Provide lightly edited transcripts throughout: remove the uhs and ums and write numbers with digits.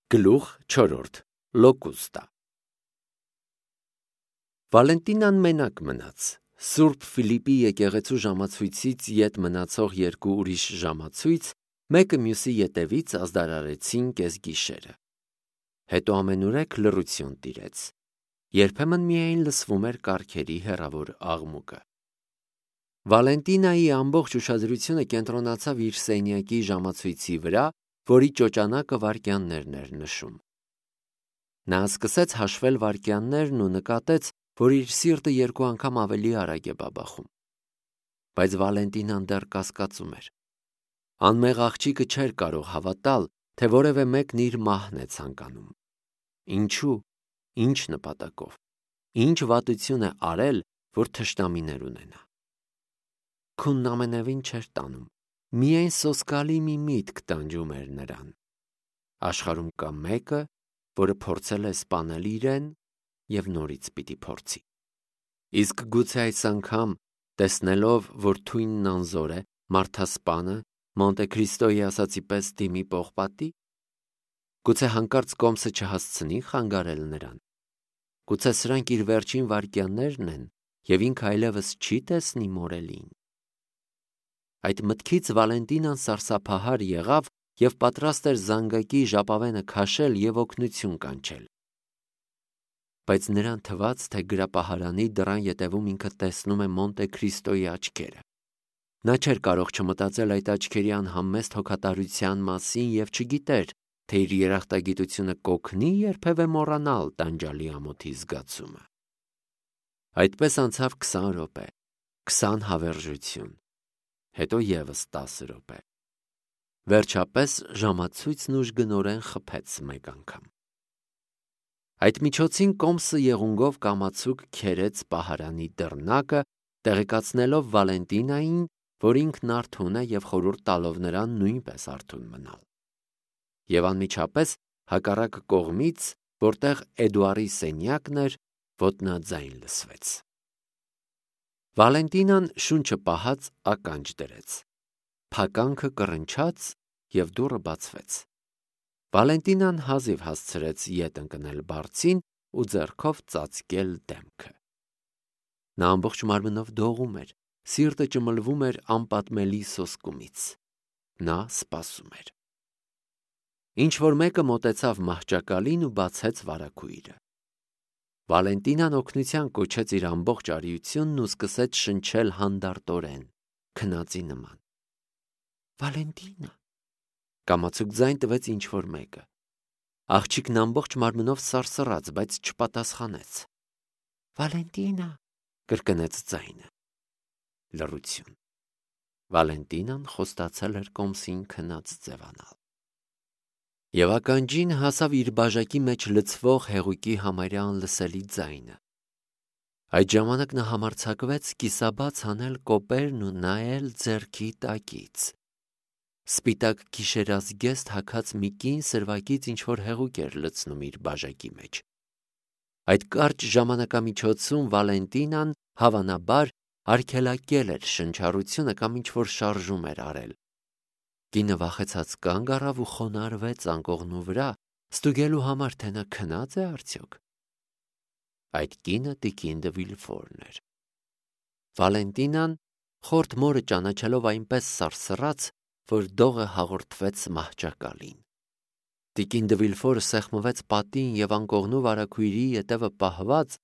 Գլուխ 4. Լոկուստա Վալենտինան մենակ մնաց։ Սուրբ Ֆիլիպի եկեղեցու ժամացույցից ետ մնացող երկու ուրիշ ժամացույց մեկը մյուսի ետևից ազդարարեցին կեսգիշերը։ Հետո ամենուրեք լռություն տիրեց։ Երբեմն միայն լսվում էր կառքերի հեռավոր աղմուկը։ Վալենտինայի ամբողջ ուշադրությունը կենտրոնացավ իր սենյակի ժամացույցի վրա, որի ճոճանակը վայրկյաններն էր նշում։ Նա սկսեց հաշվել վայրկյաններն ու նկատեց, որ իր սիրտը երկու անգամ ավելի արագ է բաբախում։ Բայց Վալենտինան դեռ կասկածում էր։ Անմեղ աղջիկը չէր կարող հավատալ, թե որևէ մեկն իր մահն է ցանկանում։ Ինչու՞, ինչ նպատակով, ինչ վատություն է արել, որ թշնամիներ ունենա։ Քունն ամենևին չէր տանում, միայն սոսկալի մի միտք տանջում էր նրան։ Աշխարհում կա մեկը, որը փորձել է սպանել իրեն և նորից պիտի փորձի։ Իսկ գուցե այս անգամ, տեսնելով, որ թույնն անզոր է, մարդասպանը Մոնտե Քրիստոյի ասածի պես դիմի պողպատի։ Գուցե հանկարծ կոմսը չհասցնի խանգարել նրան։ Գուցե սրանք իր վերջին վայրկյաններն են, և ինքը այլևս չի տեսնի մորելին։ Այդ մտքից Վալենտինան սարսափահար եղավ և պատրաստ էր զանգակի ժապավենը քաշել և օգնություն կանչել։ Բայց նրան թվաց, թե գրապահարանի դռան ետևում ինքը տեսնում է Մոնտե Քրիստոյի աչքերը։ Նա չէր կարող չմտածել այդ աչքերի անհամեստ հոգատարության մասին և չգիտեր, թե իր երախտագիտությունը կօգնի երբևէ մոռանալ տանջալի ամոթի զգացումը։ Այդպես անցավ 20 րոպե, 20 հավերժություն, հետո ևս 10 րոպե։ Վերջապես ժամացույցն ուժգնորեն խփեց մեկ անգամ։ Այդ միջոցին կոմսը եղունգով կամացուկ քերեց պահարանի դռնակը, տեղեկացնելով Վալենտինային, որ ինքն արթուն է և խորհուրդ տալով նրան նույնպես արթուն մնալ։ Եվ անմիջապես հակառակ կողմից, որտեղ Էդուարի սենյակն էր, ոտնաձայն լսվեց։ Վալենտինան շունչը պահած ականջ դրեց։ Փականքը կռնչաց և դուռը բացվեց։ Վալենտինան հազիվ հասցրեց ետ ընկնել բարձին ու ձեռքով ծածկել դեմքը։ Նա ամբողջ մարմնով դողում էր, սիրտը ճմլվում էր անպատմելի սոսկումից։ Նա սպասում էր։ Ինչ-որ մեկը մոտեցավ մահճակալին ու բացեց վարագույրը։ Վալենտինան օգնության կոչեց իր ամբողջ արիությունն ու սկսեց շնչել հանդարտորեն, քնածի նման։ Վալենտինա… Կամացուկ ձայն տվեց ինչ-որ մեկը։ Աղջիկն ամբողջ մարմնով սարսռաց, բայց չպատասխանեց։ Վալենտինա… կրկնեց ձայնը։ Լռություն։ Վալենտինան խոստացել էր կոմսին քնած ձևանալ։ Եվ ականջին հասավ իր բաժակի մեջ լցվող հեղուկի համարյա անլսելի ձայնը։ Այդ ժամանակ նա համարձակվեց կիսաբաց անել կոպերն ու նայել ձեռքի տակից։ Սպիտակ գիշերազգեստ հագած մի կին սրվակից ինչ-որ հեղուկ էր լցնում իր բաժակի մեջ։ Այդ կարճ ժամանակամիջոցում Վալենտինան, հավանաբար, արգելակել էր շնչառությունը կամ ինչ-որ շարժում էր արել։ Կինը վախեցած կանգ առավ ու խոնարհվեց անկողնու վրա, ստուգելու համար, թե նա քնա՞ծ է արդյոք։ Այդ կինը տիկին դը Վիլֆորն էր։ Վալենտինան, խորթ մորը ճանաչելով, այնպես սարսռաց, որ դողը հաղորդվեց մահճակալին։ Տիկին դը Վիլֆորը սեղմվեց պատին և անկողնու վարագույրի ետևը պահված,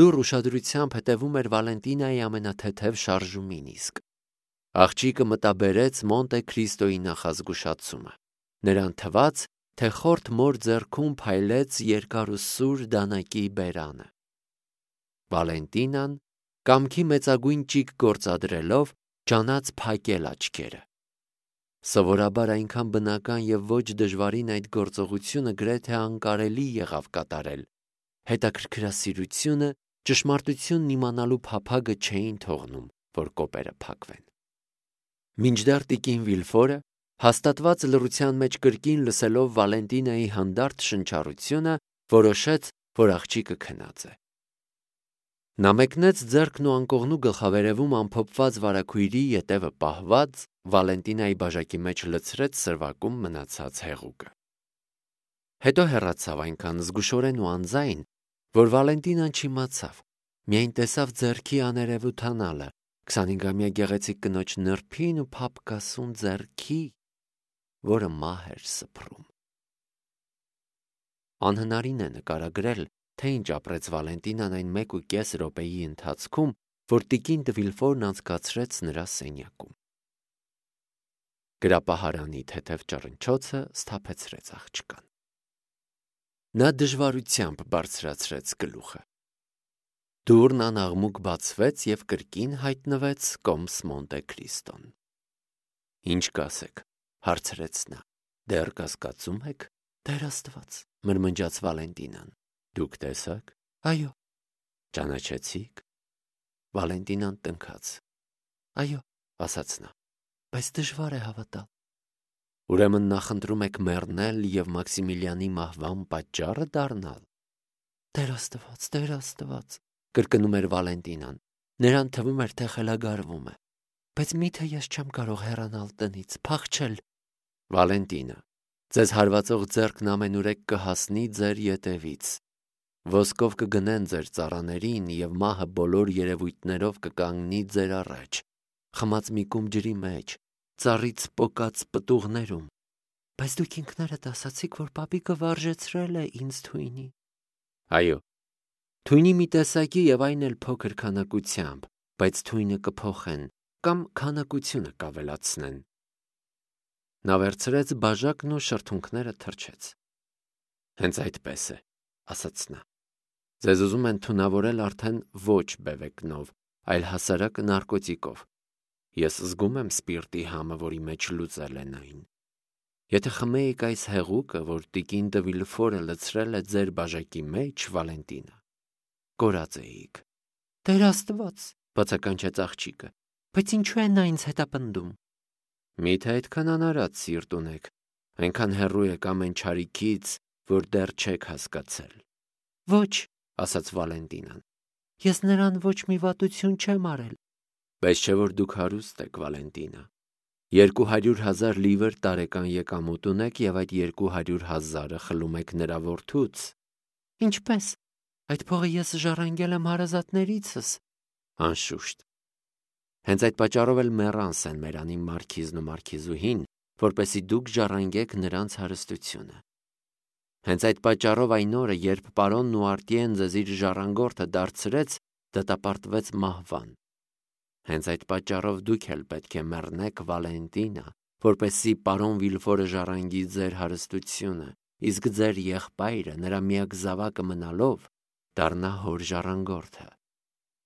լուռ ուշադրությամբ հետևում էր Վալենտինայի ամենաթեթև շարժումին իսկ։ Աղջիկը մտաբերեց Մոնտե Քրիստոյի նախազգուշացումը։ Նրան թվաց, թե խորթ մոր ձեռքում փայլեց երկար ու սուր դանակի բերանը։ Վալենտինան, կամքի մեծագույն ճիգ գործադրելով, ջանաց փակել աչքերը։ Սովորաբար այնքան բնական և ոչ դժվարին այդ գործողությունը գրեթե անկարելի եղավ կատարել։ Հետաքրքրասիրությունը, ճշմարտությունն իմանալու փափագը չէին թողնում, որ կոպերը փակվեն։ Մինչդեռ տիկին Վիլֆորը, հաստատված լռության մեջ կրկին լսելով Վալենտինայի հանդարտ շնչառությունը, որոշեց, որ աղջիկը քնած է։ Նա մեկնեց ձեռքն ու անկողնու գլխավերևում ամփոփված վարագույրի ետևը պահված, Վալենտինայի բաժակի մեջ լցրեց սրվակում մնացած հեղուկը։ Հետո հեռացավ այնքան զգուշորեն ու անձայն, որ Վալենտինան չիմացավ, միայն տեսավ ձեռքի աներևութանալը, 25-ամյա գեղեցիկ կնոջ նրբին ու փափկասուն ձեռքի, որը մահ էր սփռում։ Անհնարին է նկարագրել, թե ինչ ապրեց Վալենտինան այն 1.5 րոպեի ընթացքում, որ տիկին դը Վիլֆորն անցկացրեց նրա սենյակում։ Գրապահարանի թեթև ճռնչոցը սթափեցրեց աղջկան։ Նա դժվարությամբ բարձրացրեց գլուխը։ Դուռն անաղմուկ բացվեց և կրկին հայտնվեց կոմս Մոնտե Քրիստոն։ «Ինչ կասեք», հարցրեց նա։ «Դեռ կասկածում եք»։ «Տեր Աստված», մրմնջաց Վալենտինան։ «Դուք տեսա՞ք»։ «Այո»։ «Ճանաչեցի՞ք»։ Վալենտինան տնքաց։ «Այո», ասաց նա, «բայց դժվար է հավատալ»։ «Ուրեմն նախընտրում եք մեռնել և Մաքսիմիլիանի մահվան պատճառը դառնալ»։ «Տեր Աստված, Տեր Աստված», կրկնում էր Վալենտինան։ Նրան թվում էր, թե խելագարվում է։ «Բայց միթե ես չեմ կարող հեռանալ տնից, փախչել»։ «Վալենտինա, ձեզ հարվածող ձեռքն ամենուրեք կհասնի ձեր ետևից։ Ոսկով կգնեն ձեր ծառաներին, և մահը բոլոր երևույթներով կկանգնի ձեր առաջ, խմած մի կում ջրի մեջ, ծառից պոկած պտուղներում։ Բայց դուք ինքներդ ասացիք, որ պապիկը վարժեցրել է ինձ թույնի»։ «Այո, թույնի մի տեսակի և այն էլ փոքր քանակությամբ, բայց թույնը կփոխեն կամ քանակությունը կավելացնեն»։ Նա վերցրեց բաժակն ու շրթունքները թրջեց։ «Հենց այդպես է», ասաց նա։ «Ձեզ ուզում են թունավորել արդեն ոչ բևեկնով, այլ հասարակ նարկոտիկով։ Ես զգում եմ սպիրտի համը, որի մեջ լուծել են այն։ Եթե խմեիք այս հեղուկը, որ տիկին դը Վիլֆորը լցրել է ձեր բաժակի մեջ, Վալենտինա, կորած էիք»։ «Տեր Աստված», բացականչեց աղջիկը, «բայց ինչու է նա ինձ հետապնդում»։ «Միթե այդքան անարատ սիրտ ունեք, այնքան հեռու եք ամեն չարիքից, որ դեռ չեք հասկացել»։ «Ոչ», ասաց Վալենտինան, «ես նրան ոչ մի վատություն չեմ արել»։ «Բայց չէ՞ որ դուք հարուստ եք, Վալենտինա։ 200,000 լիվր տարեկան եկամուտ ունեք և այդ 200,000-ը խլում եք նրա որդուց»։ «Ինչպե՞ս։ Այդ փողը ես ժառանգել եմ հարազատներիցս»։ «Անշուշտ։ Հենց այդ պատճառով էլ մեռան Սեն-Մերանի մարքիզն ու մարքիզուհին, որպեսզի դուք ժառանգեք նրանց հարստությունը։ Հենց այդ պատճառով այն օրը, երբ պարոն Նուարտիեն ձեզ իր ժառանգորդը դարձրեց, դատապարտվեց մահվան։ Հենց այդ պատճառով դուք էլ պետք է մեռնեք, Վալենտինա, որպեսզի պարոն Վիլֆորը ժառանգի ձեր հարստությունը, իսկ ձեր եղբայրը, նրա միակ զավակը մնալով, դառնա հոր ժառանգորդը»։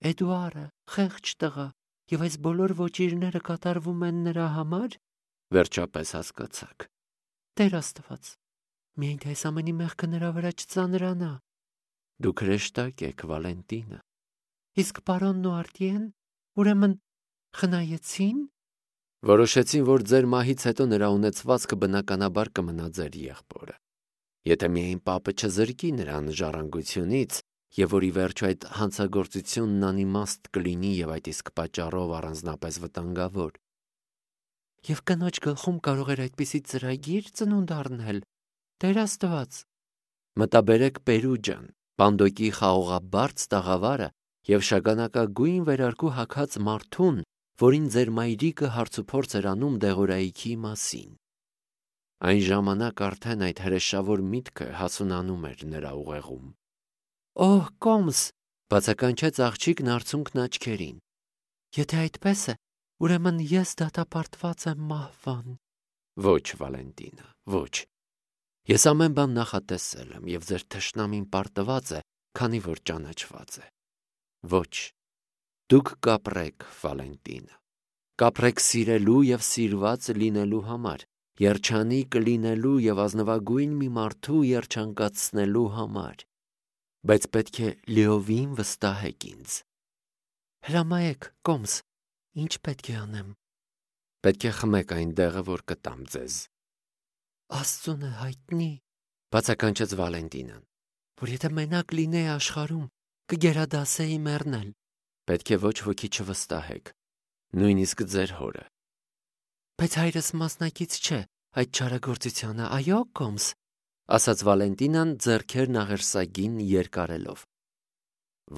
«Էդուարը, խեղճ տղա, և այս բոլոր ոճիրները կատարվում են նրա համար»։ «Վերջապես հասկացաք»։ «Տեր Աստված, միայն թե այս ամենի մեղքը նրա վրա չծանրանա»։ «Դուք հրեշտակ եք, Վալենտինա»։ «Իսկ պարոն Նուարտիեն, ուրեմն խնայեցի՞ն»։ «Որոշեցին, որ ձեր մահից հետո նրա ունեցվածքը բնականաբար կմնա ձեր եղբորը։ Եթե միայն պապը չզրկի նրան ժառանգությունից, և որ ի վերջո այդ հանցագործությունն անիմաստ կլինի և այդ իսկ պատճառով առանձնապես վտանգավոր»։ «Եվ կնոջ գլխում կարող էր այդպիսի ծրագի՞ր ծնունդ առնել, Տեր Աստված»։ «Մտաբերեք Պերուջան, Պանդոկի խաղողաբարձ տաղավարը և շագանակագույն վերարկու հագած մարդուն, որին ձեր մայրիկը հարցուփորձ էր անում դեղորայքի մասին։ Այն ժամանակ արդեն այդ հրեշավոր միտքը հասունանում էր նրա ուղեղում»։ «Օհ, կոմս», բացականչեց աղջիկն արցունքն աչքերին, «եթե այդպես է, ուրեմն ես դատապարտված եմ մահվան»։ «Ոչ, Վալենտինա, ոչ։ Ես ամեն բան նախատեսել եմ, և ձեր թշնամին պարտված է, քանի որ ճանաչված է։ Ոչ, դուք կապրեք, Վալենտինա, կապրեք սիրելու և սիրված լինելու համար, երջանիկ լինելու և ազնվագույն մի մարդու երջանկացնելու համար, բայց պետք է լիովին վստահեք ինձ»։ «Հրամայեք, կոմս, ինչ պետք է անեմ»։ «Պետք է խմեք այն դեղը, որ կտամ ձեզ»։ «Աստծուն է հայտնի», բացականչեց Վալենտինան, «որ եթե մենակ լինեի աշխարհում, կգերադասեի մեռնել»։ «Պետք է ոչ ոքի չվստահեք, նույնիսկ ձեր հորը»։ «Բայց հայրս մասնակից չէ այդ չարագործությանը, այո՞, կոմս»։ ասաց Վալենտինան ձեռքերն աղերսագին երկարելով։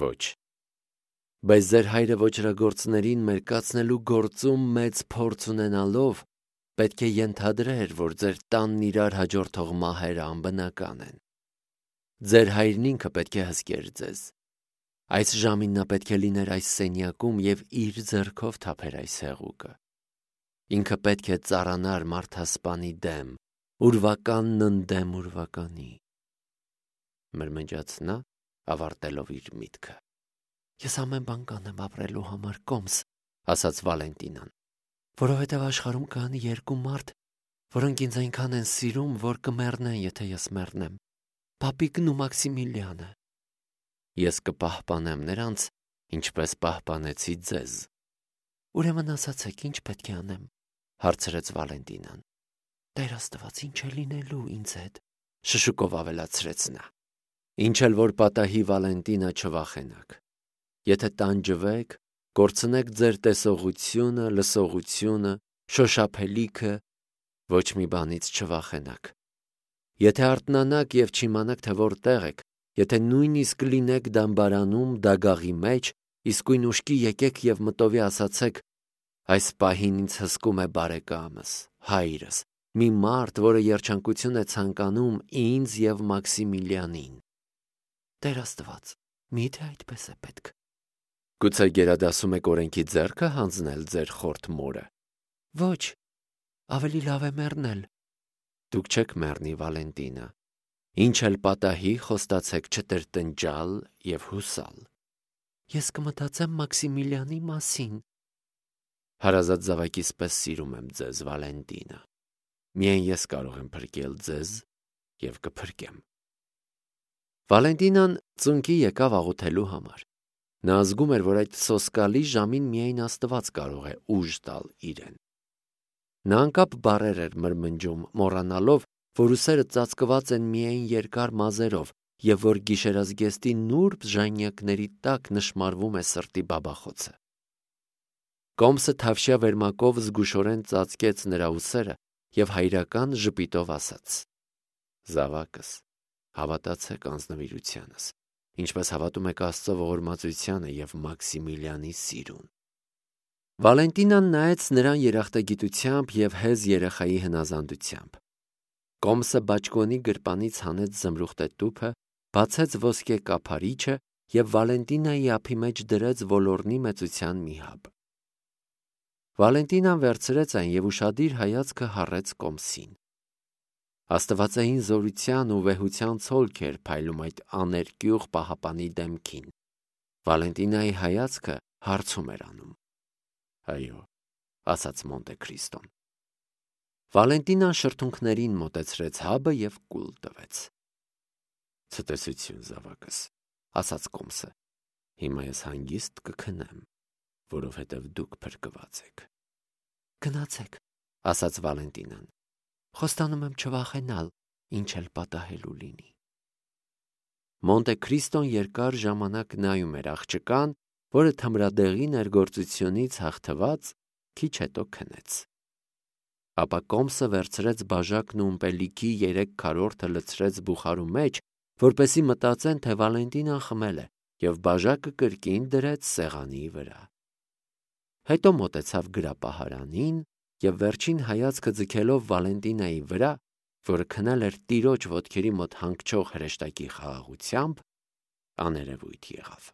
Ոչ, բայց ձեր հայրը ոճրագործներին մերկացնելու գործում մեծ փորձ ունենալով պետք է ենթադրեր, որ ձեր տանն իրար հաջորդող մահերը անբնական են։ Ձեր հայրն ինքը պետք է հսկեր ձեզ։ Այս ժամին նա պետք է լիներ այս սենյակում և իր ձեռքով թափեր այս հեղուկը։ Ինքը պետք է ծառանար մարդասպանի դեմ, ուրվականն ընդդեմ ուրվականի։ Մրմնջաց նա, ավարտելով իր միտքը։ Ես ամեն բան կանեմ ապրելու համար, կոմս, ասաց Վալենտինան, որովհետև աշխարհում կան երկու մարդ, որոնք ինձ այնքան են սիրում, որ կմեռնեն, եթե ես մեռնեմ։ Պապիկն ու Մաքսիմիլիանը։ Ես կպահպանեմ նրանց, ինչպես պահպանեցի ձեզ։ Ուրեմն ասացեք, ինչ պետք է անեմ, հարցրեց Վալենտինան։ Տեր Աստված, ինչ է լինելու ինձ հետ, շշուկով ավելացրեց նա։ Ինչ էլ որ պատահի, Վալենտինա, չվախենաք։ Եթե տանջվեք, կորցնեք ձեր տեսողությունը, լսողությունը, շոշափելիքը, ոչ մի բանից չվախենաք։ Եթե արթնանաք և չիմանաք, թե որտեղ եք, եթե նույնիսկ լինեք դամբարանում, դագաղի մեջ, իսկույն ուշքի եկեք և մտովի ասացեք. այս պահին ինձ հսկում է բարեկամս, հայրս, մի մարդ, որը երջանկություն է ցանկանում ինձ և Մաքսիմիլիանին։ Տեր Աստված, միթե այդպես է պետք։ Գուցե գերադասում եք օրենքի ձեռքը հանձնել ձեր խորթ մորը։ Ոչ, ավելի լավ է մեռնել։ Դուք չեք մեռնի, Վալենտինա։ Ինչ էլ պատահի, խոստացեք չտրտնջալ և հուսալ։ Ես կմտածեմ Մաքսիմիլիանի մասին։ Հարազատ զավակիս պես սիրում եմ ձեզ, Վալենտինա։ Միայն ես կարող եմ փրկել ձեզ և կփրկեմ։ Վալենտինան ծունկի եկավ աղոթելու համար։ Նա զգում էր, որ այդ սոսկալի ժամին միայն Աստված կարող է ուժ տալ իրեն։ Նա անկապ բառեր էր մրմնջում, մոռանալով, որ ուսերը ծածկված են միայն երկար մազերով և որ գիշերազգեստի նուրբ ժանյակների տակ նշմարվում է սրտի բաբախոցը։ Կոմսը թավշյա վերմակով զգուշորեն ծածկեց նրա ուսերը և հայրական ժպիտով ասաց. Զավակս, հավատացեք անձնվիրությանս, ինչպես հավատում եք Աստծո ողորմածությանը և Մաքսիմիլիանի սիրուն։ Վալենտինան նայեց նրան երախտագիտությամբ և հեզ երեխայի հնազանդությամբ։ Կոմսը բաճկոնի գրպանից հանեց զմրուխտե տուփը, բացեց ոսկե կափարիչը և Վալենտինայի ափի մեջ դրեց ոլորնի մեծության մի հաբ։ Վալենտինան վերցրեց այն և ուշադիր հայացքը հառեց Կոմսին։ Աստվածային զորության ու վեհության ցոլք էր փայլում այդ աներկյուղ պահապանի դեմքին։ Վալենտինայի հայացքը հարցում էր անում։ Այո, ասաց Մոնտե Քրիստոն։ Վալենտինան շրթունքներին մոտեցրեց հաբը և կուլ տվեց։ Ցտեսություն, զավակս, ասաց Կոմսը։ Հիմա ես հանգիստ կքնեմ, որովհետև դուք փրկված եք։ Գնացեք, ասաց Վալենտինան։ Խոստանում եմ չվախենալ, ինչ էլ պատահելու լինի։ Մոնտե Քրիստոն երկար ժամանակ նայում էր աղջկան, որը թմրադեղի ներգործությունից հաղթված քիչ հետո քնեց։ Ապա Կոմսը վերցրեց բաժակն ու ըմպելիքի 3/4 լցրեց բուխարու մեջ, որպեսզի մտածեն, թե Վալենտինան խմել է, և բաժակը կրկին դրեց սեղանի վրա։ Հետո մոտեցավ գրապահարանին և վերջին հայացքը ձգելով Վալենտինայի վրա, որը քնել էր տիրոջ ոտքերի մոտ հանգչող հրեշտակի խաղաղությամբ, աներևույթ եղավ։